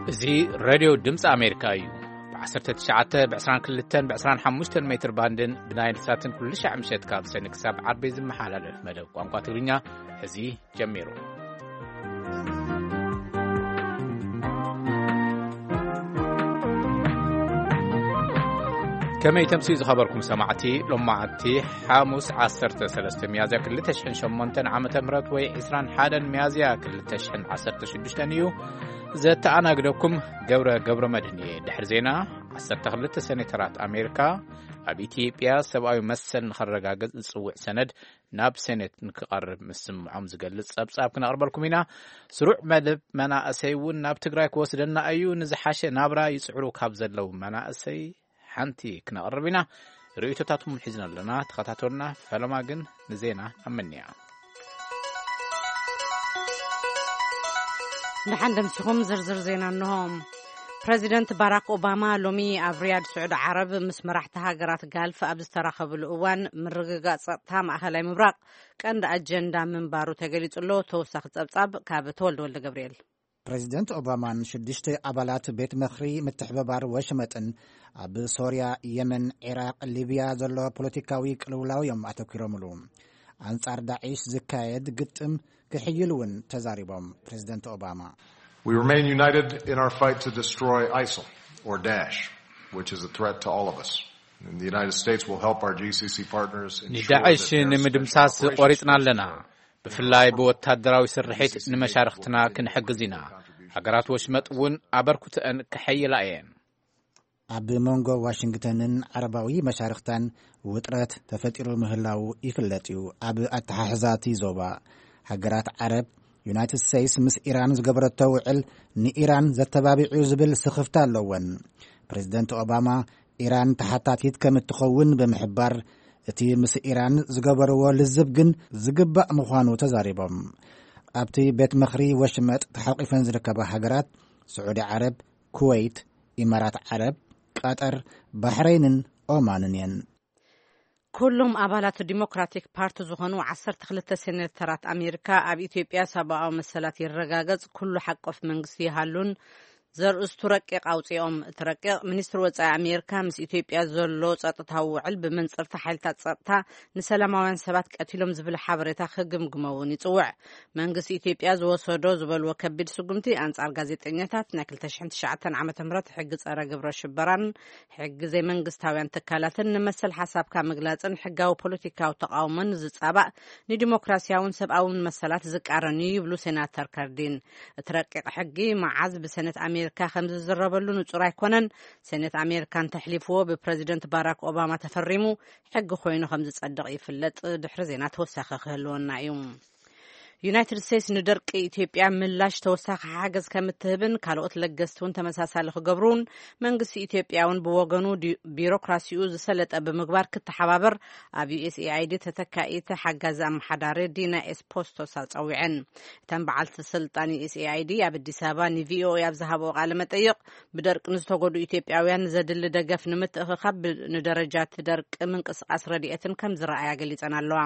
እዚ ሬድዮ ድምፂ ኣሜሪካ እዩ። ብ19፣ ብ22፣ ብ25 ሜትር ባንድን ብናይል ሳትን ኩሉ ሻዕ ምሸት ካብ ሰኒ ክሳብ ዓርቢ ዝመሓላለፍ መደብ ቋንቋ ትግርኛ እዚ ጀሚሩ። ከመይ ተምስዩ ዝኸበርኩም ሰማዕቲ? ሎማዕቲ ሓሙስ 13 ሚያዝያ 2008 ዓመተ ምህረት ወይ 21 ሚያዝያ 2016 እዩ። ዘተኣናግደኩም ገብረ ገብረ መድህን እየ። ድሕሪ ዜና፣ 12 ሴኔተራት ኣሜሪካ ኣብ ኢትዮጵያ ሰብኣዊ መሰል ንኸረጋግጽ ዝጽውዕ ሰነድ ናብ ሴኔት ንክቐርብ ምስምዖም ዝገልጽ ጸብጻብ ክነቕርበልኩም ኢና። ስሩዕ መደብ መናእሰይ እውን ናብ ትግራይ ክወስደና እዩ። ንዝሓሸ ናብራ ይጽዕሩ ካብ ዘለዉ መናእሰይ ሓንቲ ክነቕርብ ኢና። ርእይቶታትኩም ሒዝና ኣለና። ተኸታተሉና። ፈለማ ግን ንዜና ኣመንያ። ደሓን ደምሲኹም ዝርዝር ዜና እንሆ። ፕረዚደንት ባራክ ኦባማ ሎሚ ኣብ ሪያድ ስዑዲ ዓረብ ምስ መራሕቲ ሃገራት ጋልፍ ኣብ ዝተራኸብሉ እዋን፣ ምርግጋጽ ጸጥታ ማእኸላይ ምብራቕ ቀንዲ ኣጀንዳ ምንባሩ ተገሊጹ ኣሎ። ተወሳኺ ጸብጻብ ካብ ተወልደ ወልደ ገብርኤል። ፕረዚደንት ኦባማን ሽዱሽተ ኣባላት ቤት ምኽሪ ምትሕብባር ወሽመጥን ኣብ ሶርያ፣ የመን፣ ዒራቕ፣ ሊብያ ዘሎ ፖለቲካዊ ቅልውላው እዮም ኣተኲሮምሉ። ኣንጻር ዳዒሽ ዝካየድ ግጥም ክሕይል እውን ተዛሪቦም ፕረዚደንት ኦባማ። We remain united in our fight to destroy ISIL or Daesh, which is a threat to all of us. And the United States will help our G C C partners ensure ንዳዕሽ that their ንምድምሳስ special ቆሪጽና operations ኣለና። ብፍላይ ብወታደራዊ ስርሒት ንመሻርኽትና ክንሕግዝ ኢና። ሃገራት ወሽመጥ እውን ኣበርክቶአን ክሕይላ እየን። ኣብ መንጎ ዋሽንግተንን ዓረባዊ መሻርኽታን ውጥረት ተፈጢሩ ምህላዉ ይፍለጥ እዩ። ኣብ ኣተሓሕዛ እቲ ዞባ፣ ሃገራት ዓረብ፣ ዩናይትድ ስቴትስ ምስ ኢራን ዝገበረቶ ውዕል ንኢራን ዘተባቢዑ ዝብል ስኽፍታ ኣለወን። ፕሬዚደንት ኦባማ ኢራን ተሓታቲት ከም እትኸውን ብምሕባር፣ እቲ ምስ ኢራን ዝገበርዎ ልዝብ ግን ዝግባእ ምዃኑ ተዛሪቦም። ኣብቲ ቤት ምኽሪ ወሽመጥ ተሓቂፈን ዝርከባ ሃገራት ስዑዲ ዓረብ፣ ኩወይት፣ ኢማራት ዓረብ፣ ቀጠር፣ ባሕረይንን ኦማንን እየን። ኩሎም ኣባላት ዲሞክራቲክ ፓርቲ ዝኾኑ 12 ሴኔተራት ኣሜሪካ፣ ኣብ ኢትዮጵያ ሰብኣዊ መሰላት ይረጋገጽ፣ ኩሉ ሓቆፍ መንግስቲ ይሃሉን ዘርእስቱ ረቂቕ ኣውጺኦም። እቲ ረቂቕ፣ ሚኒስትሪ ወጻኢ ኣሜሪካ ምስ ኢትዮጵያ ዘሎ ጸጥታዊ ውዕል ብመንጽርታ ሓይልታት ጸጥታ ንሰላማውያን ሰባት ቀቲሎም ዝብል ሓበሬታ ክግምግሞ እውን ይጽውዕ። መንግስቲ ኢትዮጵያ ዝወሰዶ ዝበልዎ ከቢድ ስጉምቲ ኣንጻር ጋዜጠኛታት፣ ናይ 2009 ዓ.ም ሕጊ ጸረ ግብረ ሽበራን ሕጊ ዘይመንግስታውያን ትካላትን ንመሰል ሓሳብካ ምግላጽን ሕጋዊ ፖለቲካዊ ተቓውሞን ዝጻባእ፣ ንዲሞክራሲያውን ሰብኣውን መሰላት ዝቃረን እዩ ይብሉ ሴናተር ከርዲን። እቲ ረቂቕ ሕጊ መዓዝ ብሰነት ኣሜሪካ ከም ዝዝረበሉ ንጹር ኣይኮነን። ሴኔት ኣሜሪካ እንተሕሊፍዎ፣ ብፕረዚደንት ባራክ ኦባማ ተፈሪሙ ሕጊ ኮይኑ ከም ዝጸድቕ ይፍለጥ። ድሕሪ ዜና ተወሳኺ ክህልወና እዩ። ዩናይትድ ስቴትስ ንደርቂ ኢትዮጵያ ምላሽ ተወሳኺ ሓገዝ ከም እትህብን ካልኦት ለገስቲ እውን ተመሳሳሊ ክገብሩን፣ መንግስቲ ኢትዮጵያ እውን ብወገኑ ዲ-፣ ቢሮክራሲኡ ዝሰለጠ ብምግባር ክተሓባበር ኣብ ዩ ኤስ ኤ ኣይ ዲ ተተካኢት ሓጋዚ ኣመሓዳሪ ዲና ኤስፖስቶሳ ጸዊዐን። እተን በዓልቲ ስልጣን ዩ ኤስ ኤ ኣይ ዲ ኣብ ኣዲስ ኣበባ ን ቪ ኦ ኤ ኣብ ዝሃብኦ ቃለ መጠይቕ፣ ብደርቂ ንዝተጎድኡ ኢትዮጵያውያን ዘድሊ ደገፍ ንምትእኽኻብ ብ-፣ ንደረጃ እቲ ደርቂ ምንቅስቃስ ረድኤትን ከም ዝረኣያ ገሊጸን ኣለዋ።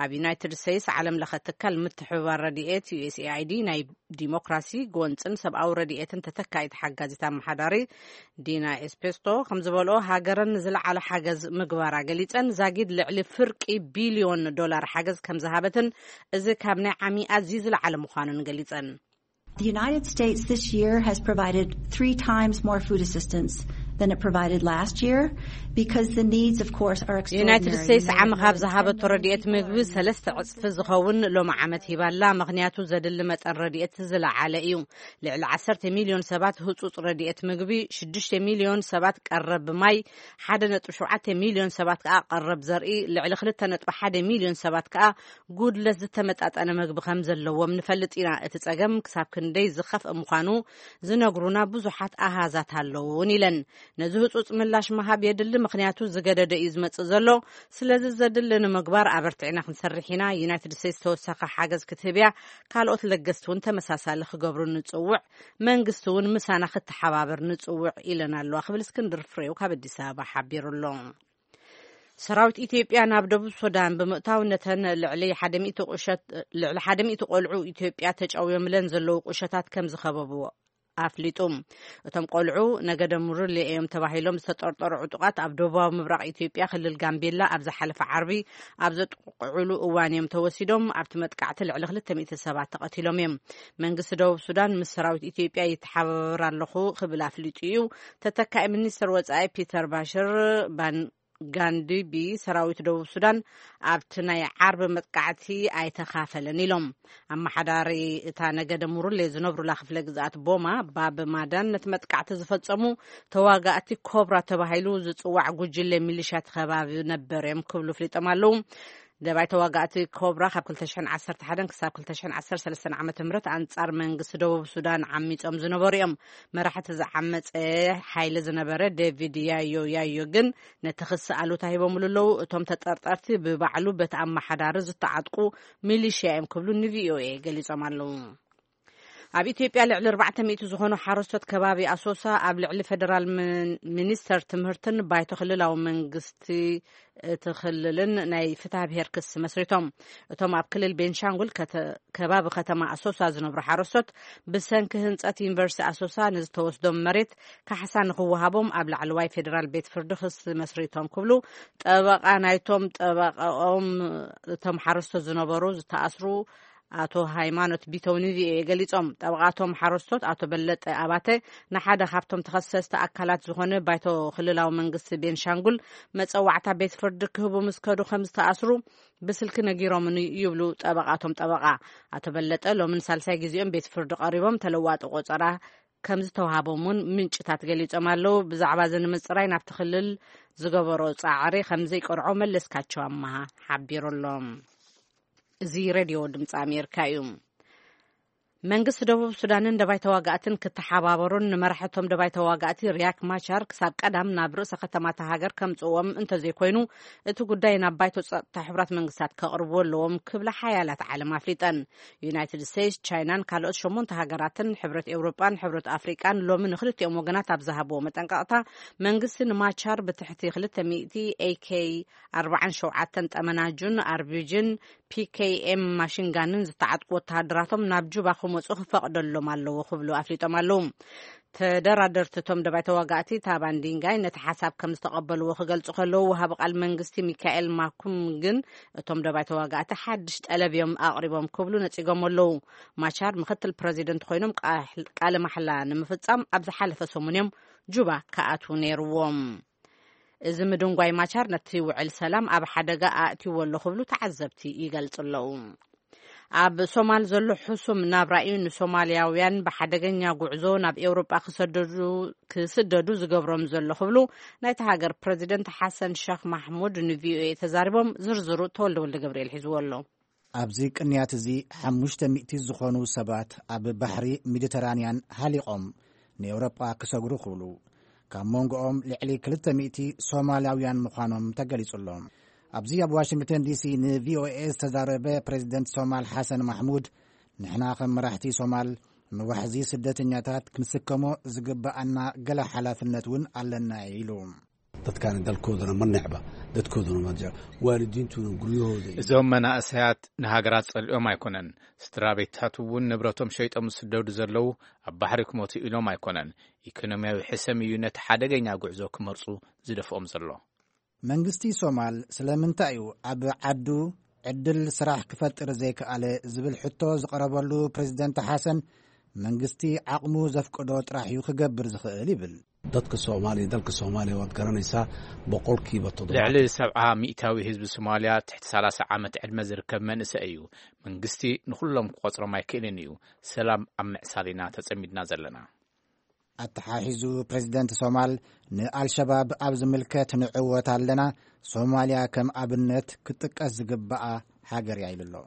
ኣብ ዩናይትድ ስቴትስ ዓለም ለኸ ትካል ምትሕብባር ረድኤት ዩ ኤስ ኤ ኣይ ዲ ናይ ዲሞክራሲ፣ ጎንጽን ሰብኣዊ ረድኤትን ተተካኢት ሓጋዚት ኣመሓዳሪ ዲና ኤስፔስቶ ከም ዝበልኦ፣ ሃገረን ንዝለዓለ ሓገዝ ምግባራ ገሊጸን፣ ዛጊድ ልዕሊ ፍርቂ ቢልዮን ዶላር ሓገዝ ከም ዝሃበትን እዚ ካብ ናይ ዓሚ ኣዝዩ ዝለዓለ ምዃኑን ገሊጸን። The United States this year has provided three times more food assistance than it provided last year because the needs, of course, are ዩናይትድ extraordinary. ስቴትስ ዓሚ ካብ ዝሃበቶ ረድኤት ምግቢ ሰለስተ ዕጽፊ ዝኸውን ሎሚ ዓመት ሂባላ። ምኽንያቱ ዘድሊ መጠን ረድኤት ዝለዓለ እዩ። ልዕሊ 10 ሚልዮን ሰባት ህጹጽ ረድኤት ምግቢ፣ 6 ሚልዮን ሰባት ቀረብ ማይ፣ 1.7 ሚልዮን ሰባት ከኣ ቀረብ ዘርኢ፣ ልዕሊ 2.1 ሚልዮን ሰባት ከኣ ጉድለት ዝተመጣጠነ ምግቢ ከም ዘለዎም ንፈልጥ ኢና። እቲ ጸገም ክሳብ ክንደይ ዝኸፍእ ምዃኑ ዝነግሩና ብዙሓት ኣሃዛት ኣለዉ እውን ኢለን። ነዚ ህጹጽ ምላሽ ምሃብ የድሊ፣ ምኽንያቱ ዝገደደ እዩ ዝመጽእ ዘሎ። ስለዚ ዘድሊ ንምግባር ኣበርቲዕና ክንሰርሕ ኢና። ዩናይትድ ስቴትስ ተወሳኺ ሓገዝ ክትህብ እያ። ካልኦት ለገስቲ እውን ተመሳሳሊ ክገብሩ ንጽውዕ። መንግስቲ እውን ምሳና ክተሓባበር ንጽውዕ ኢለን ኣለዋ ክብል እስክንድር ፍሬው ካብ ኣዲስ ኣበባ ሓቢሩ ኣሎ። ሰራዊት ኢትዮጵያ ናብ ደቡብ ሱዳን ብምእታው፣ ነተን ልዕሊ ሓደ ሚእቲ ቁሸት-፣ ልዕሊ ሓደ ሚእቲ ቆልዑ ኢትዮጵያ ተጨውዮምለን ዘለዉ ቁሸታት ከም ዝኸበብዎ፣ ኣፍሊጡ። እቶም ቆልዑ ነገደ ሙርሌ እዮም ተባሂሎም ዝተጠርጠሩ ዕጡቓት ኣብ ደቡባዊ ምብራቕ ኢትዮጵያ ክልል ጋምቤላ ኣብ ዝሓለፈ ዓርቢ ኣብ ዘጥቕዕሉ እዋን እዮም ተወሲዶም። ኣብቲ መጥቃዕቲ ልዕሊ ክልተ ሚእቲ ሰባት ተቐቲሎም እዮም። መንግስቲ ደቡብ ሱዳን ምስ ሰራዊት ኢትዮጵያ ይተሓባበር ኣለኹ ክብል ኣፍሊጡ እዩ። ተተካኢ ሚኒስትር ወጻኢ ፒተር ባሽር ባን ጋንዲቢ ሰራዊት ደቡብ ሱዳን ኣብቲ ናይ ዓርቢ መጥቃዕቲ ኣይተኻፈለን ኢሎም። ኣመሓዳሪ እታ ነገደ ሙሩሌ ዝነብሩላ ክፍለ ግዝኣት ቦማ ባብ ማዳን ነቲ መጥቃዕቲ ዝፈጸሙ ተዋጋእቲ ኮብራ ተባሂሉ ዝጽዋዕ ጉጅለ ሚሊሻ ተኸባቢ ነበር እዮም ክብሉ ፍሊጦም ኣለዉ። ደባይ ተዋጋእቲ ኮብራ ካብ ክልተ ሽሕን ዓሰርተ ሓደን ክሳብ ክልተ ሽሕን ዓሰርተ ሰለስተን ዓመተ ምህረት ኣንጻር መንግስቲ ደቡብ ሱዳን ዓሚጾም ዝነበሩ እዮም። መራሕቲ ዝዓመጸ ሓይሊ ዝነበረ ዴቪድ ያዮ ያዮ ግን ነቲ ክሲ ኣሉታ ሂቦምሉ ኣለዉ። እቶም ተጠርጠርቲ ብባዕሉ በቲ ኣመሓዳሪ ዝተዓጥቁ ሚሊሽያ እዮም ክብሉ ንቪኦኤ ገሊጾም ኣለዉ። ኣብ ኢትዮጵያ ልዕሊ ኣርባዕተ ሚእቲ ዝኾኑ ሓረስቶት ከባቢ ኣሶሳ ኣብ ልዕሊ ፌደራል ምን-፣ ሚኒስተር ትምህርትን ባይቶ ክልላዊ መንግስቲ እቲ ክልልን ናይ ፍትሐ ብሔር ክሲ መስሪቶም። እቶም ኣብ ክልል ቤንሻንጉል ከተ-፣ ከባቢ ከተማ ኣሶሳ ዝነብሩ ሓረስቶት ብሰንኪ ህንጸት ዩኒቨርሲቲ ኣሶሳ ንዝተወስዶም መሬት ካሕሳ ንኽወሃቦም ኣብ ላዕለዋይ ፌደራል ቤት ፍርዲ ክሲ መስሪቶም ክብሉ ጠበቓ ናይቶም ጠበቓኦም እቶም ሓረስቶት ዝነበሩ ዝተኣስሩ ኣቶ ሃይማኖት ቢተው ንቪኦኤ ገሊጾም። ጠበቓቶም ሓረስቶት ኣቶ በለጠ ኣባተ ንሓደ ካብቶም ተኸሰስቲ ኣካላት ዝኾነ ባይቶ ክልላዊ መንግስቲ ቤንሻንጉል መጸዋዕታ ቤት ፍርዲ ክህቡ ምስ ከዱ ከም ዝተኣስሩ ብስልኪ ነጊሮምኒ ይብሉ ጠበቓቶም ጠበቓ። ኣቶ በለጠ ሎምን ሳልሳይ ግዜኦም ቤት ፍርዲ ቀሪቦም ተለዋጢ ቆጸራ ከም ዝተዋሃቦም እውን ምንጭታት ገሊጾም ኣለዉ። ብዛዕባ እዚ ንምጽራይ ናብቲ ክልል ዝገበሮ ጻዕሪ ከም ዘይቀንዖ መለስካቸው ኣመሃ ሓቢሩ ኣሎ። እዚ ሬድዮ ድምፂ ኣሜሪካ እዩ። መንግስቲ ደቡብ ሱዳንን ደባይ ተዋጋእትን ክተሓባበሩን ንመራሕቶም ደባይ ተዋጋእቲ ሪያክ ማቻር ክሳብ ቀዳም ናብ ርእሰ ከተማታ ሃገር ከምጽእዎም እንተዘይኮይኑ፣ እቲ ጉዳይ ናብ ባይቶ ጸጥታ ሕቡራት መንግስታት ከቕርብዎ ኣለዎም ክብላ ሓያላት ዓለም ኣፍሊጠን። ዩናይትድ ስቴትስ፣ ቻይናን ካልኦት ሸሞንተ ሃገራትን ሕብረት ኤውሮጳን ሕብረት ኣፍሪቃን ሎሚ ንክልቲኦም ወገናት ኣብ ዝሃብዎ መጠንቀቕታ፣ መንግስቲ ንማቻር ብትሕቲ ክልተ ሚእቲ ኤ ኬ ኣርባዓን ሸውዓተን ጠመናጁን ኣርቢጂን ፒ ኬ ኤም ማሽንጋንን ዝተዓጥቁ ወተሃደራቶም ናብ ጁባ ክመጹ ክፈቕደሎም ኣለዎ ክብሉ ኣፍሊጦም ኣለዉ። ተደራደርቲ እቶም ደባይ ተዋጋእቲ ታባን ዲንጋይ ነቲ ሓሳብ ከም ዝተቐበልዎ ክገልጹ ከለዉ፣ ወሃቢ ቃል መንግስቲ ሚካኤል ማኩም ግን እቶም ደባይ ተዋጋእቲ ሓድሽ ጠለብ እዮም ኣቕሪቦም ክብሉ ነጺጎም ኣለዉ። ማቻር ምክትል ፕረዚደንት ኮይኖም ቃ-፣ ቃለ ማሕላ ንምፍጻም ኣብ ዝሓለፈ ሰሙን እዮም ጁባ ክኣትዉ ነይርዎም። እዚ ምድንጓይ ማቻር ነቲ ውዕል ሰላም ኣብ ሓደጋ ኣእትይዎ ኣሎ ክብሉ ተዓዘብቲ ይገልጹ ኣለዉ። ኣብ ሶማል ዘሎ ሕሱም ናብራ እዩ ንሶማልያውያን ብሓደገኛ ጉዕዞ ናብ ኤውሮጳ ክሰደዱ፣ ክስደዱ ዝገብሮም ዘሎ ክብሉ ናይቲ ሃገር ፕረዚደንት ሓሰን ሸኽ ማሕሙድ ንቪኦኤ ተዛሪቦም። ዝርዝሩ ተወልደ ወልደ ገብርኤል ሒዝዎ ኣሎ። ኣብዚ ቅንያት እዚ ሓሙሽተ ሚእቲ ዝኾኑ ሰባት ኣብ ባሕሪ ሜዲተራንያን ሃሊቖም ንኤውሮጳ ክሰግሩ ክብሉ፣ ካብ መንጎኦም ልዕሊ ክልተ ሚእቲ ሶማልያውያን ምዃኖም ተገሊጹ ኣሎ። ኣብዚ ኣብ ዋሽንግተን ዲሲ ንቪኦኤ ዝተዛረበ ፕሬዚደንት ሶማል ሓሰን ማሕሙድ፣ ንሕና ከም መራሕቲ ሶማል ንዋሕዚ ስደተኛታት ክንስከሞ ዝግብኣና ገለ ሓላፍነት እውን ኣለና ኢሉ። Dadkaani dalkoodana ma necba, dadkoodana ma jecla. Waalidiintuna guryahooda iyo እዞም መናእሰያት ንሃገራት ጸሊኦም ኣይኮነን። ስድራ ቤታት እውን ንብረቶም ሸይጦም ዝስደዱ ዘለዉ ኣብ ባሕሪ ክሞቱ ኢሎም ኣይኮነን። ኢኮኖሚያዊ ሕሰም እዩ ነቲ ሓደገኛ ጉዕዞ ክመርጹ ዝደፍኦም ዘሎ። መንግስቲ ሶማል ስለምንታይ እዩ ኣብ ዓዱ ዕድል ስራሕ ክፈጥር ዘይከኣለ ዝብል ሕቶ ዝቐረበሉ ፕሬዚደንት ሓሰን፣ መንግስቲ ዓቕሙ ዘፍቅዶ ጥራሕ እዩ ክገብር ዝኽእል ይብል። Dadka Soomaaliya, dalka Soomaaliya waad garanaysaa, boqolkiiba toddobaatan ልዕሊ ሰብዓ ሚእታዊ ህዝቢ ሶማልያ ትሕቲ ሰላሳ ዓመት ዕድመ ዝርከብ መንእሰይ እዩ። መንግስቲ ንኹሎም ክቆጽሮም ኣይክእልን እዩ። ሰላም ኣብ ምዕሳል ኢና ተጸሚድና ዘለና። ኣተሓሒዙ ፕሬዚደንት ሶማል ንኣልሸባብ ኣብ ዝምልከት ንዕወት ኣለና፣ ሶማልያ ከም ኣብነት ክትጥቀስ ዝግብኣ ሃገር እያ ኢሉ ኣሎ።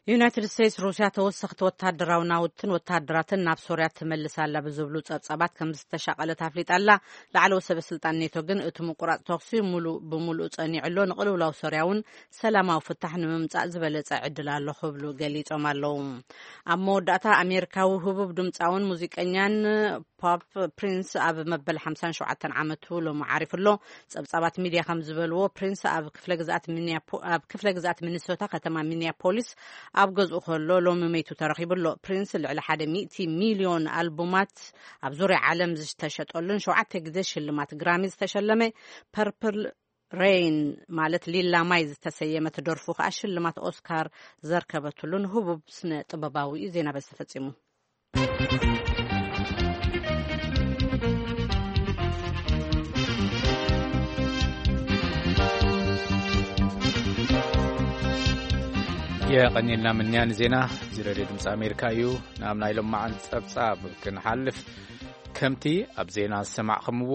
ዩናይትድ ስቴትስ ሩስያ ተወሰኽቲ ወታደራዊ ናውትን ወታደራትን ናብ ሶርያ ትመልስ ኣላ ብዝብሉ ጸብጻባት ከም ዝተሻቐለት ኣፍሊጣ ኣላ። ላዕለዎት ሰበ ስልጣን ኔቶ ግን እቲ ምቁራጽ ተኹሲ ሙሉእ ብሙሉእ ጸኒዑ ኣሎ፣ ንቕልውላው ሶርያ እውን ሰላማዊ ፍታሕ ንምምጻእ ዝበለጸ ዕድል ኣሎ ክብሉ ገሊጾም ኣለዉ። ኣብ መወዳእታ ኣሜሪካዊ ህቡብ ድምጻውን ሙዚቀኛን ፖፕ ፕሪንስ ኣብ መበል ሓምሳን ሸውዓተን ዓመቱ ሎሚ ዓሪፉ ኣሎ። ጸብጻባት ሚድያ ከም ዝበልዎ ፕሪንስ ኣብ ክፍለ ግዝኣት ሚኒያፖ-፣ ኣብ ክፍለ ግዝኣት ሚኒሶታ ከተማ ሚኒያፖሊስ ኣብ ገዝኡ ከሎ ሎሚ መይቱ ተረኺቡ ኣሎ። ፕሪንስ ልዕሊ ሓደ ሚእቲ ሚልዮን ኣልቡማት ኣብ ዙርያ ዓለም ዝተሸጠሉን ሸውዓተ ግዜ ሽልማት ግራሚ ዝተሸለመ ፐርፕል ሬይን ማለት ሊላ ማይ ዝተሰየመት ደርፉ ከኣ ሽልማት ኦስካር ዘርከበትሉን ህቡብ ስነ ጥበባዊ እዩ። ዜና በዚ ተፈጺሙ። የቐኒልና ምንያን ዜና። እዚ ሬድዮ ድምፂ ኣሜሪካ እዩ። ናብ ናይ ሎማዓንቲ ጸብጻብ ክንሓልፍ፣ ከምቲ ኣብ ዜና ዝሰማዕኹምዎ፣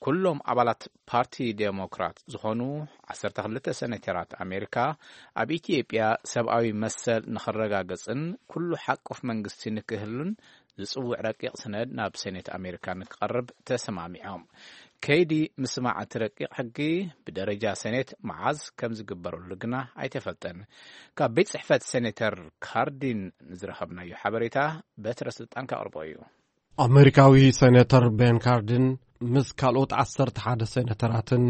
ኩሎም ኣባላት ፓርቲ ዴሞክራት ዝኾኑ ዓሰርተ ክልተ ሴኔተራት ኣሜሪካ፣ ኣብ ኢትዮጵያ ሰብኣዊ መሰል ንኽረጋገጽን ኩሉ ሓቆፍ መንግስቲ ንክህሉን ዝጽውዕ ረቂቕ ሰነድ ናብ ሴኔት ኣሜሪካ ንክቐርብ ተሰማሚዖም። ከይዲ ምስማዕ እቲ ረቂቕ ሕጊ ብደረጃ ሴኔት መዓዝ ከም ዝግበረሉ ግና ኣይተፈልጠን። ካብ ቤት ጽሕፈት ሴኔተር ካርዲን ንዝረኸብናዮ ሓበሬታ በትረ ስልጣን ከቕርቦ እዩ። ኣመሪካዊ ሴኔተር ቤን ካርዲን ምስ ካልኦት ዓሰርተ ሓደ ሴኔተራትን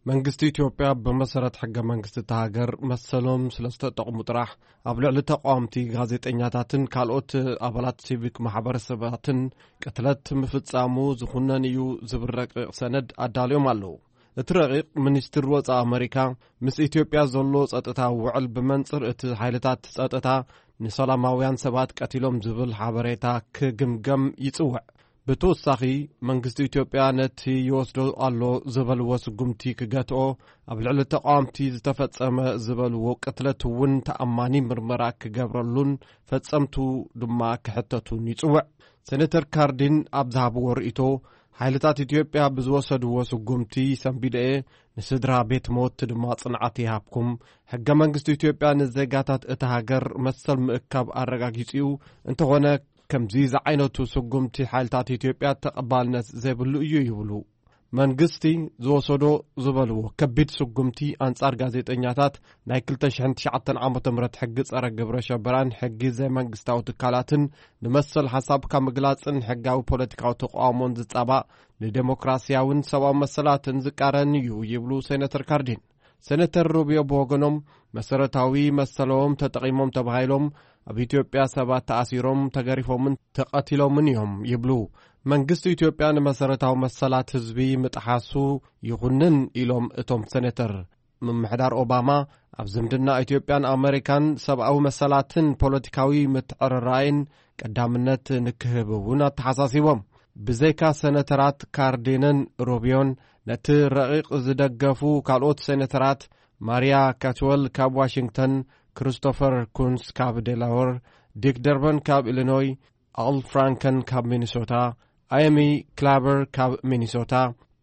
መንግስቲ ኢትዮጵያ ብመሰረት ሕገ መንግስቲ እታ ሃገር መሰሎም ስለ ዝተጠቕሙ ጥራሕ ኣብ ልዕሊ ተቃወምቲ ጋዜጠኛታትን ካልኦት ኣባላት ሲቪክ ማሕበረሰባትን ቅትለት ምፍጻሙ ዝኹነን እዩ ዝብል ረቂቕ ሰነድ ኣዳልዮም ኣለዉ። እቲ ረቂቕ ሚኒስትሪ ወጻኢ ኣመሪካ ምስ ኢትዮጵያ ዘሎ ጸጥታ ውዕል ብመንጽር እቲ ሓይልታት ጸጥታ ንሰላማውያን ሰባት ቀቲሎም ዝብል ሓበሬታ ክግምገም ይጽውዕ። ብተወሳኺ መንግስቲ ኢትዮጵያ ነቲ ይወስዶ ኣሎ ዝበልዎ ስጉምቲ ክገትኦ፣ ኣብ ልዕሊ ተቃወምቲ ዝተፈጸመ ዝበልዎ ቅትለት እውን ተኣማኒ ምርመራ ክገብረሉን ፈጸምቱ ድማ ክሕተቱን ይጽውዕ። ሴኔተር ካርዲን ኣብ ዝሃብዎ ርእይቶ፣ ሓይልታት ኢትዮጵያ ብዝወሰድዎ ስጉምቲ ሰንቢደ እየ፣ ንስድራ ቤት ሞት ድማ ጽንዓት ይሃብኩም። ሕገ መንግስቲ ኢትዮጵያ ንዜጋታት እታ ሃገር መሰል ምእካብ ኣረጋጊጹ እዩ። እንተኾነ፣ ከምዚ ዝዓይነቱ ስጉምቲ ሓይልታት ኢትዮጵያ ተቐባልነት ዘይብሉ እዩ ይብሉ። መንግስቲ ዝወሰዶ ዝበልዎ ከቢድ ስጉምቲ ኣንጻር ጋዜጠኛታት፣ ናይ ክልተ ሽሕን ትሽዓተን ዓመተ ምህረት ሕጊ ጸረ ግብረ ሸበራን ሕጊ ዘይመንግስታዊ ትካላትን ንመሰል ሓሳብካ ምግላጽን ሕጋዊ ፖለቲካዊ ተቃውሞን ዝጻባእ፣ ንዴሞክራሲያውን ሰብኣዊ መሰላትን ዝቃረን እዩ ይብሉ ሴኔተር ካርዲን። ሴኔተር ሩቢዮ ብወገኖም፣ መሰረታዊ መሰሎም ተጠቒሞም ተባሂሎም ኣብ ኢትዮጵያ ሰባት ተኣሲሮም፣ ተገሪፎምን ተቐቲሎምን እዮም ይብሉ። መንግስቲ ኢትዮጵያ ንመሰረታዊ መሰላት ህዝቢ ምጥሓሱ ይኹንን ኢሎም እቶም ሴኔተር። ምምሕዳር ኦባማ ኣብ ዝምድና ኢትዮጵያን ኣመሪካን ሰብኣዊ መሰላትን ፖለቲካዊ ምትዕርራይን ቀዳምነት ንክህብ እውን ኣተሓሳሲቦም። ብዘይካ ሴኔተራት ካርዲንን ሩቢዮን፣ ነቲ ረቂቕ ዝደገፉ ካልኦት ሴኔተራት፣ ማሪያ ካትወል ካብ ዋሽንግተን፣ ክሪስቶፈር ኩንስ ካብ ዴላወር፣ ዲክ ደርበን ካብ ኢሊኖይ፣ ኣል ፍራንከን ካብ ሚኒሶታ፣ ኣየሚ ክላቨር ካብ ሚኒሶታ፣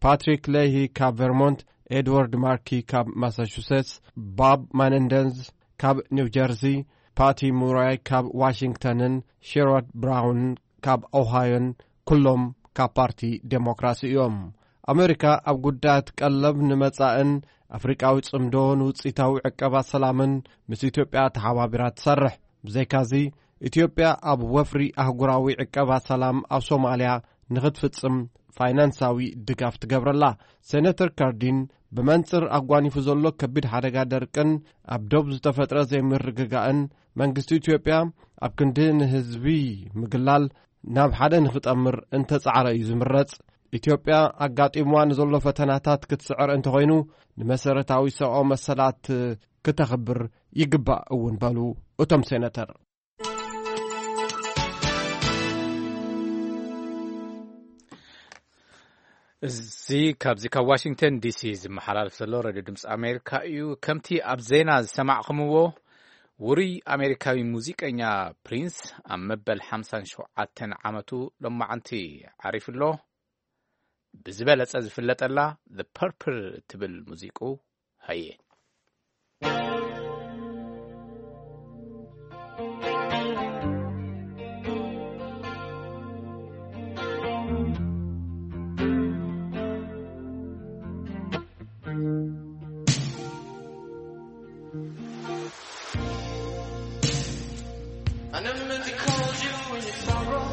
ፓትሪክ ሌሂ ካብ ቨርሞንት፣ ኤድዋርድ ማርኪ ካብ ማሳቹሴትስ፣ ባብ ማነንደንዝ ካብ ኒው ጀርሲ፣ ፓቲ ሙራይ ካብ ዋሽንግተንን ሼሮድ ብራውን ካብ ኦሃዮን ኩሎም ካብ ፓርቲ ዴሞክራሲ እዮም። ኣመሪካ ኣብ ጉዳያት ቀለብ ንመጻእን ኣፍሪቃዊ ጽምዶ ንውጽኢታዊ ዕቀባ ሰላምን ምስ ኢትዮጵያ ተሓባቢራ ትሰርሕ። ብዘይካዚ፣ ኢትዮጵያ ኣብ ወፍሪ ኣህጉራዊ ዕቀባ ሰላም ኣብ ሶማልያ ንኽትፍጽም ፋይናንሳዊ ድጋፍ ትገብረላ። ሴነተር ካርዲን ብመንጽር ኣጓኒፉ ዘሎ ከቢድ ሓደጋ ደርቅን ኣብ ዶብ ዝተፈጥረ ዘይምርግጋእን መንግስቲ ኢትዮጵያ ኣብ ክንዲ ንህዝቢ ምግላል ናብ ሓደ ንኽጠምር እንተጻዕረ እዩ ዝምረጽ። ኢትዮጵያ ኣጋጢምዋ ንዘሎ ፈተናታት ክትስዕር እንተኾይኑ ንመሰረታዊ ሰብኣዊ መሰላት ክተኽብር ይግባእ እውን በሉ እቶም ሴነተር። እዚ ካብዚ ካብ ዋሽንግተን ዲሲ ዝመሓላለፍ ዘሎ ሬድዮ ድምፂ ኣሜሪካ እዩ። ከምቲ ኣብ ዜና ዝሰማዕኹምዎ፣ ውሩይ ኣሜሪካዊ ሙዚቀኛ ፕሪንስ ኣብ መበል ሓምሳን ሸውዓተን ዓመቱ ሎማዓንቲ ዓሪፉ ኣሎ። ብዝበለጸ ዝፍለጠላ The Purple እትብል ሙዚቁ ሃየ። I never meant to call you in your sorrow.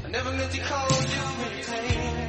I never meant to call you in your pain.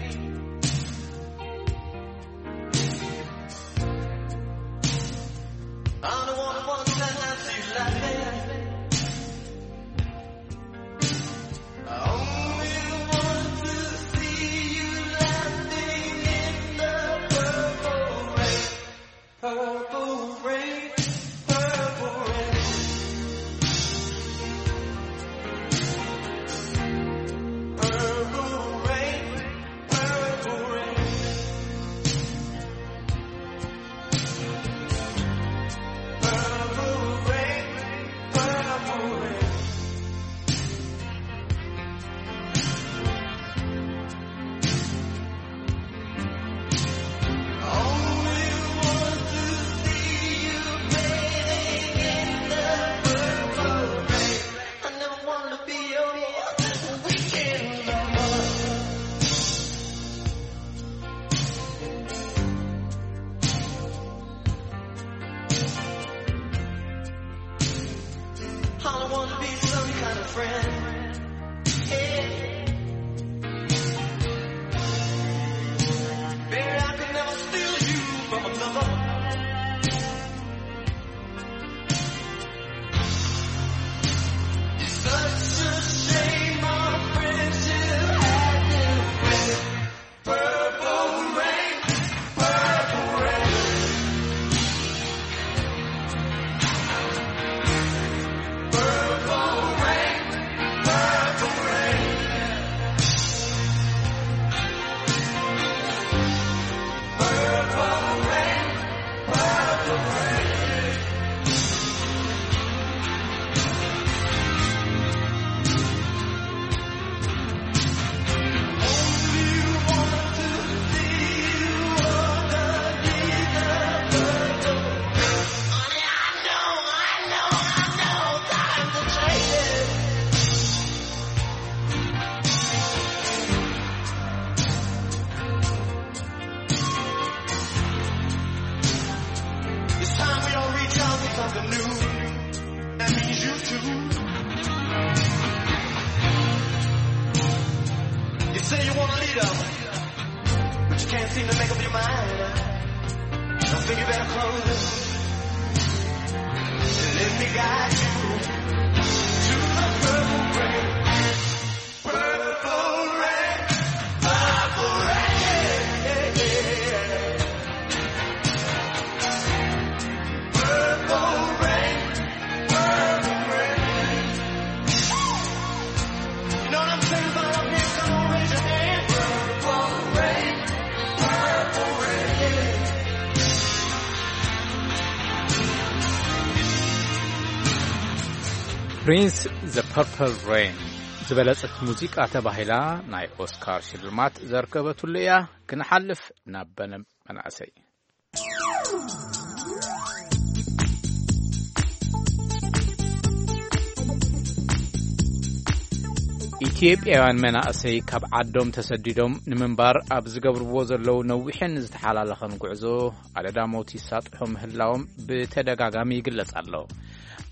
But you can't seem to make up your mind. I think you better close it. Let me guide you to the purple rain. Purple rain, purple rain, purple rain, purple rain. You know what I'm saying about love, man? Come on, raise your hand. Purple rain, purple rain. Prince, The Purple Rain ዝበለጸት ሙዚቃ ተባሂላ ናይ ኦስካር ሽልማት ዘርከበትሉ እያ። ክንሓልፍ ናብ በነ መናእሰይ። ኢትዮጵያውያን መናእሰይ ካብ ዓዶም ተሰዲዶም ንምንባር ኣብ ዝገብርዎ ዘለዉ ነዊሕን ዝተሓላለኸን ጉዕዞ ኣደዳ ሞት ይሳጥሑ ምህላዎም ብተደጋጋሚ ይግለጽ ኣሎ።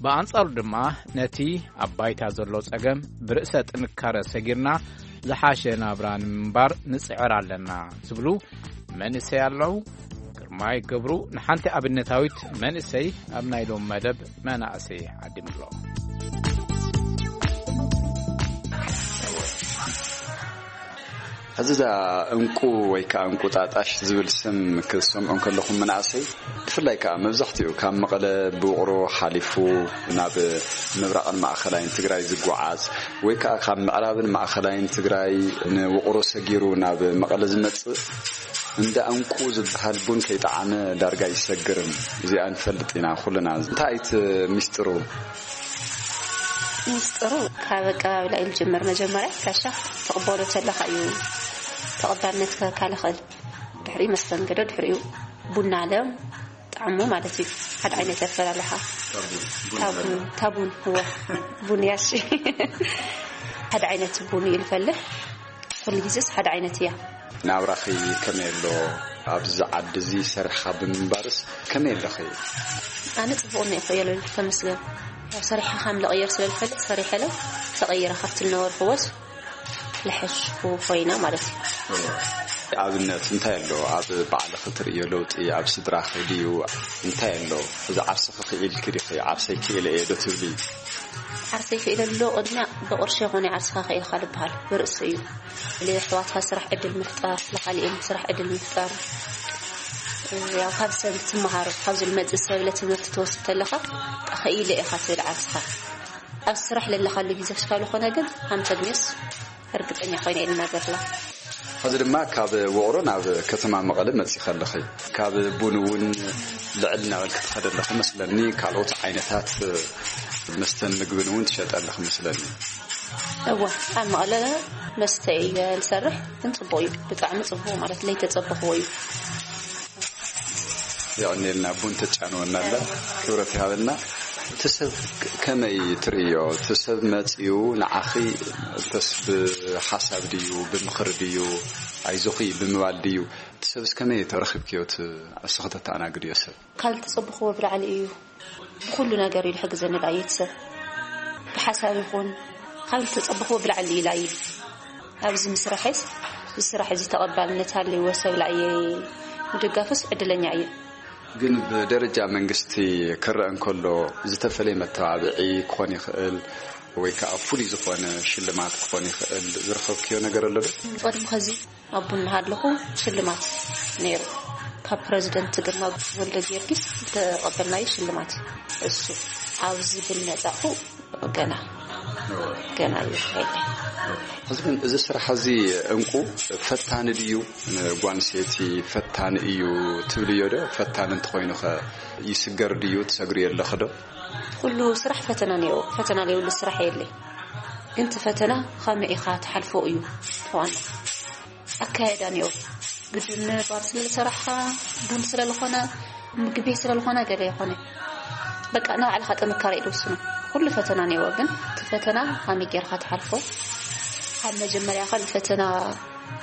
ብኣንጻሩ ድማ ነቲ ኣብ ባይታ ዘሎ ጸገም ብርእሰ ጥንካረ ሰጊርና ዝሓሸ ናብራ ንምንባር ንጽዕር ኣለና ዝብሉ መንእሰይ ኣለዉ። ግርማይ ገብሩ ንሓንቲ ኣብነታዊት መንእሰይ ኣብ ናይ ሎም መደብ መናእሰይ ዓዲምሎ። ሕዚ እዛ እንቁ ወይ ከዓ እንቁጣጣሽ ዝብል ስም ክትሰምዑ እንከለኹም መናእሰይ፣ ብፍላይ ከዓ መብዛሕትኡ ካብ መቐለ ብውቕሮ ሓሊፉ ናብ ምብራቕን ማእኸላይን ትግራይ ዝጓዓዝ ወይ ከዓ ካብ ምዕራብን ማእኸላይን ትግራይ ንውቕሮ ሰጊሩ ናብ መቐለ ዝመጽእ፣ እንዳ እንቁ ዝበሃል ቡን ከይጠዓመ ዳርጋ ይሰግርን። እዚኣ ንፈልጥ ኢና ኩልና። እንታይ እቲ ሚስጥሩ? ሚስጥሩ ካብ ኣቀባብላ እዩ ዝጅምር። መጀመርያ ካሻ ተቕበሎ ተለኻ እዩ ተቐባልነት ክህበካ ዝኽእል። ድሕሪኡ መስተንግዶ፣ ድሕሪኡ ቡና ኣለ ጣዕሙ ማለት እዩ። ሓደ ዓይነት ኣፈላልሓ። ታቡን፣ ታቡን፣ እወ። ቡን ያሺ። ሓደ ዓይነት ቡን እዩ ዝፈልሕ። ኩሉ ግዜስ ሓደ ዓይነት እያ። ናብራኺ ከመይ ኣሎ? ኣብዚ ዓዲ እዚ ሰሪሕኻ ብምንባርስ ከመይ ኣለኺ? ኣነ ጽቡቕ እኒኦ እኮ እየ ልብል፣ ተመስገን። ያው ሰሪሐ ከም ልቕየር ስለ ልፈልጥ ሰሪሐ ለ ተቐይረ ካብቲ ልነበርክዎስ ልሕሽ ኮይና ማለት እዩ። ኣብነት እንታይ ኣሎ? ኣብ ባዕልኺ ትርእዮ ለውጢ ኣብ ስድራኺ ድዩ? እንታይ ኣሎ? እዚ ዓርስኺ ክኢልኪ ዲኺ? ዓርሰይ ክኢለ እየ ዶ ትብሊ? ዓርሰይ ክኢለ ኣሎ ቅድሚያ ብቕርሺ ይኹን ዓርስኻ ክኢልካ ልበሃል ብርእሲ እዩ። ለየሕዋትካ ስራሕ ዕድል ምፍጣር፣ ለኻሊእን ስራሕ ዕድል ምፍጣር። ያው ካብ ሰብ ትመሃር፣ ካብዚ ልመጽእ ሰብ ለትምህርቲ ትወስድ ተለኻ ክኢለ ኢኻ ትብል ዓርስኻ። ኣብ ስራሕ ለለኻሉ ግዜ ሽካሉ ኾነ ግን ሃምተግሜስ እርግጠኛ ኮይነ እየ ልናገርላ። ሕዚ ድማ ካብ ውቕሮ ናብ ከተማ መቐለ መጺኻ ኣለኺ። ካብ ቡን እውን ልዕል ናበል ክትኸደ ኣለኺ መስለኒ፣ ካልኦት ዓይነታት መስተን ምግብን እውን ትሸጠ ኣለኺ መስለኒ። እወ፣ ኣብ መቐለ መስተ እየ ዝሰርሕ፣ ግን ጽቡቕ እዩ፣ ብጣዕሚ ጽቡቕ ማለት ለይተጸበኽዎ እዩ። የቐንየልና፣ ቡን ተጫንወና ኣላ። ክብረት ይሃበልና። እቲ ሰብ ከመይ ትርእዮ? እቲ ሰብ መጺኡ ንዓኺ እንተስ ብሓሳብ ድዩ፣ ብምኽሪ ድዩ፣ ኣይዞኺ ብምባል ድዩ? እቲ ሰብስ ከመይ ተረኺብክዮ? እቲ ንስኺ ተተኣናግድዮ ሰብ? ካብ ዝተጸበኽዎ ብላዕሊ እዩ። ብኹሉ ነገር እዩ ዝሕግዘኒ ደኣ እዩ እቲ ሰብ። ብሓሳብ ይኹን ካብ ዝተጸበኽዎ ብላዕሊ እዩ ደኣ እዩ። ኣብዚ ምስራሐስ፣ እዚ ስራሕ እዚ ተቐባልነት ሃልይዎ ሰብ ደኣ እየ ምድጋፉስ ዕድለኛ እየ። ግን ብደረጃ መንግስቲ ክረአ እንከሎ ዝተፈለየ መተባብዒ ክኾን ይኽእል ወይ ከዓ ፍሉይ ዝኾነ ሽልማት ክኾን ይኽእል ዝረኸብክዮ ነገር ኣሎ ዶ? ቅድሚ ኸዚ ኣብ ቡን እናሃለኹ ሽልማት ነይሩ። ካብ ፕረዚደንት ግርማ ወልደ ጊዮርጊስ ዝተቐበልናዮ ሽልማት እዩ። እሱ ኣብዚ ብል መጻእኩ ገና፣ ገና እዩ ይካየድ። ሕዚ ግን እዚ ስራሕ እዚ እንቁ ፈታኒ ድዩ? ንጓል ኣንስተይቲ ፈታኒ እዩ ትብልዮ ዶ? ፈታኒ እንተኾይኑ ኸ ይስገር ድዩ? ትሰግሪ ኣለኺ ዶ? ኩሉ ስራሕ ፈተና ነይሩ። ፈተና ዘይብሉ ስራሕ የለይ። ግን እቲ ፈተና ከመይ ኢኻ ትሓልፎ እዩ ዋና። ኣካየዳ ነይሩ። ግድን ባር ስለ ዝሰራሕኻ፣ ቡን ስለ ዝኾነ፣ ምግቢ ስለ ዝኾነ ገለ ይኾነ። በቃ ንባዕልኻ ጥንካረ እዩ ዝውስኖ። ኩሉ ፈተና ነይሩ፣ ግን እቲ ፈተና ከመይ ጌርካ ትሓልፎ? ካብ መጀመርያ ካብ ፈተና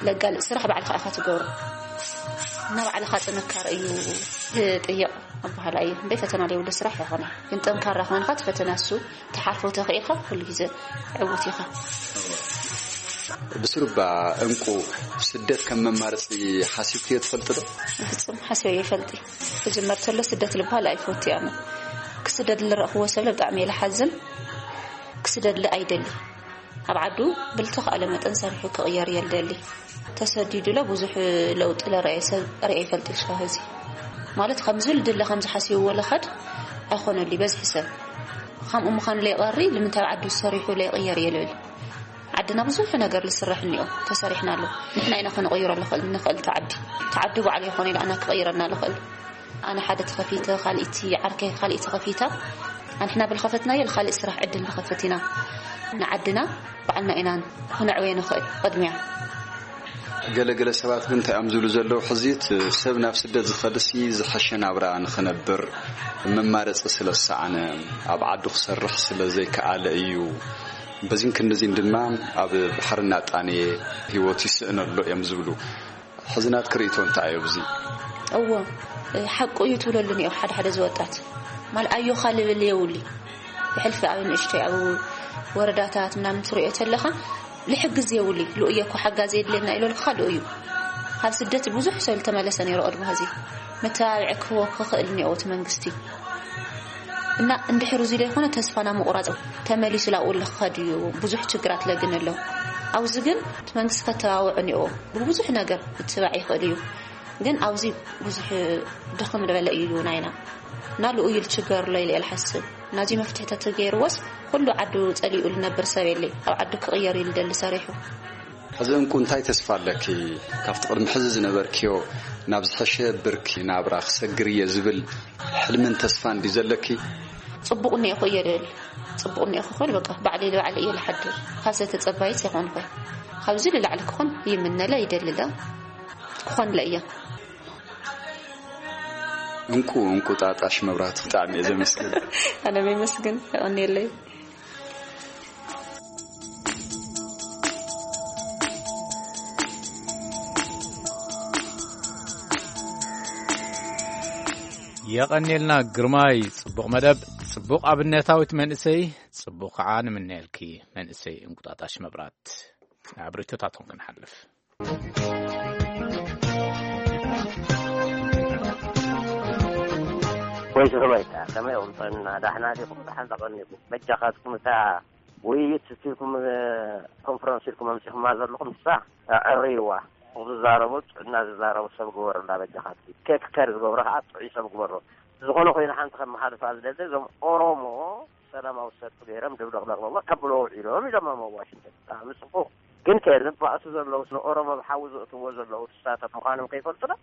ለጋልጽ ስራሕ ባዕልኻ ኢኻ ትገብሮ። እና ባዕልኻ ጥንካረ እዩ ዝጥይቕ ኣበሃህላ እዩ። እምበይ ፈተና ዘይብሉ ስራሕ ኣይኾነ። ግን ጠንካራ ኮይንካ እቲ ፈተና እሱ ትሓልፎ ተኽኢልካ ኩሉ ግዜ ዕዉት ኢኻ። ብስሩባ እንቁ፣ ስደት ከም መማረፂ ሓሲብክዮ ትፈልጥ ዶ? ፍጹም ሓሲበ ይፈልጥ። ክጅመር ተሎ ስደት ልባል ኣይፈቱ ኣነ። ክስደድ ልረእኽዎ ሰብ ብጣዕሚ እየ ልሓዝን። ክስደድ ል ኣይደሊ። ኣብ ዓዱ ብልተኻእለ መጠን ሰሪሑ ክቕየር እየ ልደሊ። ተሰዲዱ ለ ብዙሕ ለውጢ ለረኣየ ሰብ ርኤ ይፈልጥ። ሽካ ኸዚ ማለት ከምዚ ልድለ ከምዚ ሓሲብዎ ለኸድ ኣይኾነሉ በዝሒ ሰብ። ከምኡ ምዃን ለይቐሪ ልምንታይ ኣብ ዓዱ ሰሪሑ ለይቕየር እየ ልብል። ዓድና ብዙሕ ነገር ልስራሕ እኒኦ፣ ተሰሪሕና ኣሎ። ንሕና ኢና ክንቕይሮ ልኽእል፣ ንኽእል ተዓዲ። ተዓዲ ባዕሉ ይኾነ ኢሉ ኣና ክቕይረና ልኽእል። ኣነ ሓደ ተኸፊተ፣ ካልእቲ ዓርከይ ካልእቲ ተኸፊታ። ኣንሕና ብልኸፈትናዮ ልኻልእ ስራሕ ዕድል ንኸፍት ኢና። ንዓድና ባዕልና ኢና ክነዕወየ ንኽእል ቅድሚያ። ገለገለ ሰባት ግን እንታይ እዮም ዝብሉ ዘለዉ? ሕዚት ሰብ ናብ ስደት ዝኸድሲ ዝሐሸ ናብራ ንኽነብር መማረፂ ስለ ዝሰኣነ፣ ኣብ ዓዱ ክሰርሕ ስለ ዘይከኣለ እዩ። በዚን ክንድዚን ድማ ኣብ ባሕሪ እናጣነየ ህይወቱ ይስእን ኣሎ እዮም ዝብሉ። ሕዚ ናትኪ ርእይቶ እንታይ እዩ ኣብዚ? እዎ፣ ሓቁ እዩ ትብለሉ እኒኦ ሓደ ሓደ ዝወጣት። ማል ኣዮኻ ልብል የውሊ። ብሕልፊ ኣብ ንእሽተይ ኣብ ወረዳታት ምናምን ትርእዮ ተለኻ ልሕግዝ የውሊ። ልኡየ እኮ ሓጋዚ የድልየና ኢሎልካ ልኡ እዩ። ካብ ስደት ብዙሕ ሰብ ዝተመለሰ ነይሩ ቅድሚ ኸዚ። መተባብዒ ክህቦ ክኽእል እኒኦ እቲ መንግስቲ። እና እንድሕር እዚ ዘይኮነ ተስፋና ምቑራጽ ተመሊሱ ላብኡ ልኸድ እዩ። ብዙሕ ችግራት ለግን ኣሎ። ኣብዚ ግን እቲ መንግስቲ ከተባብዖ እኒኦ። ብብዙሕ ነገር ምትባዕ ይኽእል እዩ። ግን ኣብዚ ብዙሕ ድኽም ዝበለ እዩ ናይና። እና ልኡ እዩ ልችገር ኣሎ ኢለ እየ ልሓስብ። ናዚ መፍትሒ ተተገይርዎስ ኩሉ ዓዱ ጸሊኡ ልነብር ሰብ የለይ። ኣብ ዓዱ ክቕየር እዩ ልደሊ ሰሪሑ። ሕዚ እንቁ እንታይ ተስፋ ኣለኪ? ካብቲ ቅድሚ ሕዚ ዝነበርክዮ ናብ ዝሐሸ ብርኪ ናብራ ክሰግር እየ ዝብል ሕልምን ተስፋን ድዩ ዘለኪ? ጽቡቕ እኒኤኹ እየ ልብል። ጽቡቕ እኒኤኹ ክብል በቃ ባዕለይ ልባዕለ እየ ልሓድር። ካልሰ ተጸባይት ኣይኮንኩን። ካብዚ ልላዕሊ ክኾን ይምነለ ይደልለ። ክኾንለ እየ። እንቁ፣ እንቁጣጣሽ መብራህቱ ብጣዕሚ እየ ዘመስግን። ኣነ የመስግን። የቐንየለይ። የቐንየልና ግርማይ፣ ጽቡቕ መደብ፣ ጽቡቕ ኣብነታዊት መንእሰይ፣ ጽቡቕ ከዓ ንምነየልኪ መንእሰይ እንቁጣጣሽ መብራት። ናብ ርእይቶታቶም ክንሓልፍ። ወይ ዝኽበይታ ከመይ ኢኹም ጥዕና ዳሕና ዲኹም? ዳሕና ተቐኒኹም? በጃኻትኩም እታ ውይይት ስቲልኩም ኮንፈረንስ ኢልኩም ኣምሲኹማ ዘለኹም ንሳ ኣዕርይዋ። ዝዛረቡ ጥዕና ዝዛረቡ ሰብ ግበሩላ በጃኻትኩም። ኬክ ከር ዝገብሮ ከዓ ጥዑይ ሰብ ግበሮ። ዝኾነ ኮይኑ ሓንቲ ከመሓልፋ ዝደሊ እዞም ኦሮሞ ሰላማዊ ሰልፊ ገይሮም ድብለቕለቕለቕ ከብሎ ውዒሎም ኢሎም ኣብ ዋሽንግተን። ብጣዕሚ ጽቡቕ። ግን ከ ዘባእሱ ዘለዉ ንኦሮሞ ብሓዊ ዘእትዎ ዘለዉ ንሳቶም ምዃኖም ከይፈልጡ ዶ?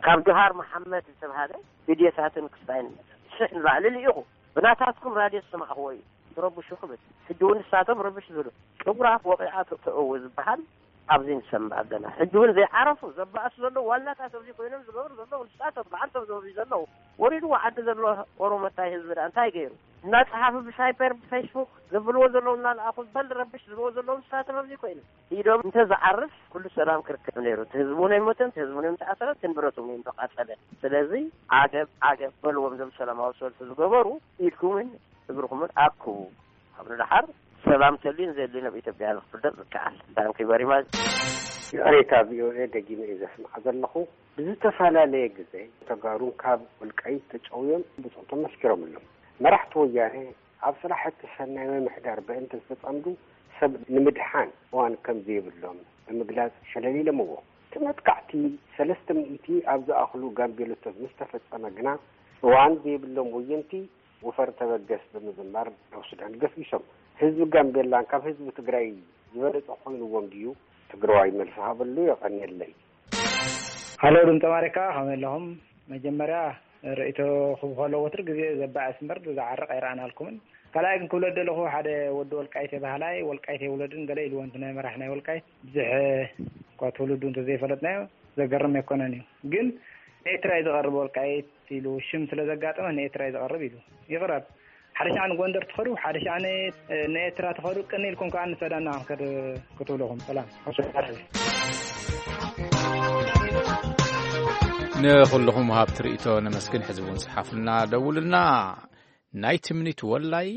ካብ ጆሃር መሓመድ ዝተብሃለ ቪድዮታትን ክስታይን ሽሕ ንላዕሊ ልኢኹ። ብናታትኩም ራድዮ ዝሰማዕኽዎ እዩ። ትረብሹ ክብል። ሕጂ እውን ንሳቶም ረብሽ ዝብሉ። ቅጉራፍ ወቂዓ ተእዊ ዝበሃል ኣብዚ ንሰምዕ ኣለና። ሕጂ እውን ዘይዓረፉ ዘባእሱ ዘለዉ ዋናታት ኣብዚ ኮይኖም ዝገብሩ ዘለዉ ንሳቶም በዓልቶም ኣብዚ ዘለዉ። ወሪድዎ ዓዲ ዘሎ ኦሮሞ እንታይ ህዝቢ ደኣ እንታይ ገይሩ? እናጸሓፉ ብሳይበር ብፌስቡክ ዘብልዎ ዘለዉ እናለኣኹ በል ረብሽ ዝብልዎ ዘለዉ ንሳቶም ኣብዚ ኮይኖም። ኢዶም እንተ ዝዓርፍ ኩሉ ሰላም ክርከብ ነይሩ። እቲ ህዝቢ እውን ኣይሞተን፣ እቲ ህዝቢ እውን ኣይምተኣሰረን፣ እቲ ንብረት እውን ኣይምተቓጸለን። ስለዚ ዓገብ ዓገብ በልዎም እዞም ሰላማዊ ሰልፊ ዝገበሩ ኢድኩምን እግርኹምን ኣክቡ። ኣብ ንደሓር ሰላም ተልዩ ንዘድሊ ናብ ኢትዮጵያ ንክፍደጥ ዝከኣል። Thank you very much። ይቕሬታ ቪኦኤ ደጊመ እየ ዘስምዓ ዘለኹ። ብዝተፈላለየ ግዜ ተጋሩን ካብ ወልቃይት ተጨውዮም ብጾቶም መስኪሮምሎም። መራሕቲ ወያነ ኣብ ስራሕቲ ሰናይ ምምሕዳር ብእንተ ዝተጸምዱ ሰብ ንምድሓን እዋን ከም ዘይብሎም ብምግላጽ ሸለል ኢሎምዎ። እቲ መጥቃዕቲ ሰለስተ ሚእቲ ኣብ ዝኣኽሉ ጋምቤሎታት ምስ ተፈጸመ ግና እዋን ዘይብሎም ወየንቲ ወፈር ተበገስ ብምዝማር ናብ ሱዳን ገስጊሶም። ህዝቢ ጋምቤላን ካብ ህዝቢ ትግራይ ዝበለጸ ኮይንዎም ድዩ? ትግራዋይ መልሲ ሃበሉ። የቐንየለይ። ሃሎ ድምፂ ኣሜሪካ ከመይ ኣለኹም? መጀመርያ ርእይቶ ክህብ ከሎ ወትር ግዜ ዘባእስ እምበር ዝዓርቕ ኣይረኣናልኩምን። ካልኣይ ግን ክብሎ ደለኹ ሓደ ወዲ ወልቃይት በሃላይ ወልቃይት የውለድን ገለ ኢልዎ እንት ናይ መራሕ ናይ ወልቃይት ብዙሕ እኳ ትውልዱ እንተዘይፈለጥናዮ ዘገርም ኣይኮነን እዩ። ግን ንኤርትራ እዩ ዝቐርብ ወልቃይት ኢሉ ሽም ስለ ዘጋጠመ ንኤርትራ እዩ ዝቐርብ ኢሉ ይቕረብ። ሓደ ሻዕ ንጎንደር ትኸዱ፣ ሓደ ሻዕ ንኤርትራ ትኸዱ፣ ቅን ኢልኩም ከዓ ንሰዳና ክንከድ ክትብለኹም። ሰላም። ንኹልኹም ወሃብቲ ርእይቶ ነመስግን። ሕዚ እውን ጽሓፉልና፣ ደውሉልና። ናይ ትምኒት ወላይ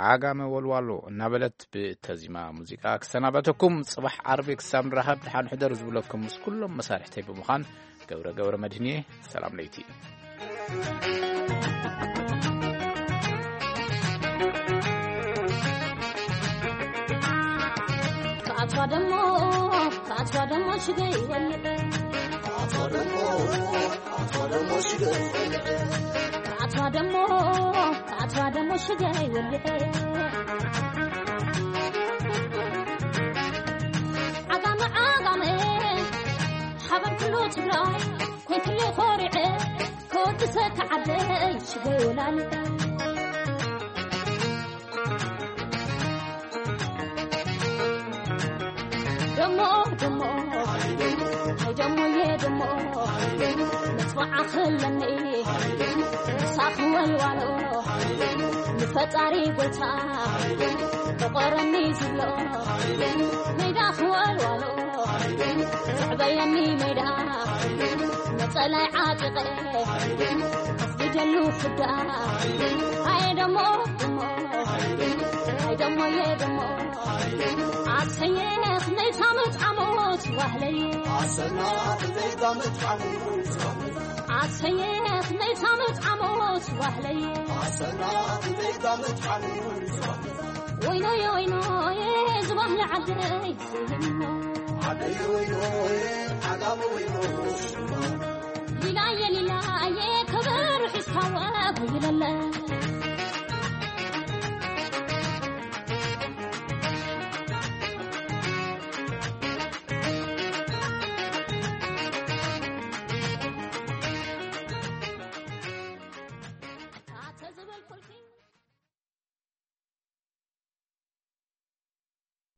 ዓጋመ ወልዋሎ እናበለት ብተዚማ ሙዚቃ ክሰናበተኩም። ጽባሕ ዓርቢ ክሳብ ንራኸብ ደሓን ሕደሩ ዝብለኩም ምስ ኩሎም መሳርሕተይ ብምዃን ገብረ ገብረ መድህንየ። ሰላም ለይቲ። ከኣትዋ ደሞ ከኣትዋ ደሞ ሽገይ ወልደ ከኣትዋ ደሞ ከኣትዋ ደሞ ሽገይ ወልደ ከኣትዋ ደሞ ከኣትዋ ደሞ ሽገይ ወልደ ዓጋመ ዓጋመ ሓበር ኩሉ ትግራይ ኮይትሉ ኮሪዐ ከወድሰ ከዓደይ ሽገይ ወላል ደሞ ደሞ ሃይ ደሞየ ደሞ መፅዋዓ ክለኒ ሳኽ ወልዋሎ ንፈጣሪ ጎይታ ተቆረኒ ዝብሎ ሜዳ ክወልዋሎ ዘዕበየኒ ሜዳ ነፀላይ ዓጢቐ ኣፍግጀሉ ፍዳ ሃይ ደሞ ደሞ ሃይ ደሞየ ደሞ ኣሰየ ክመይታ መጥዓሞት ዋህለይ ኣሰና ክመይታ መጥዓሞት ዋህለይ ኣሰየ ክመይታ መጥዓሞት ዋህለይ ኣሰና ክመይታ መጥዓሞት ዋህለይ ወይኖየ ወይኖየ ዝባህሊ ዓደይ ዓደይ ወይኖየ ዓጋመ ወይኖ ሽማ ሊላየ ሊላየ ከበሩ ሒዝካዋ ይለለ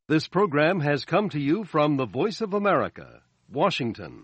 This program has come to you from the Voice of America, Washington.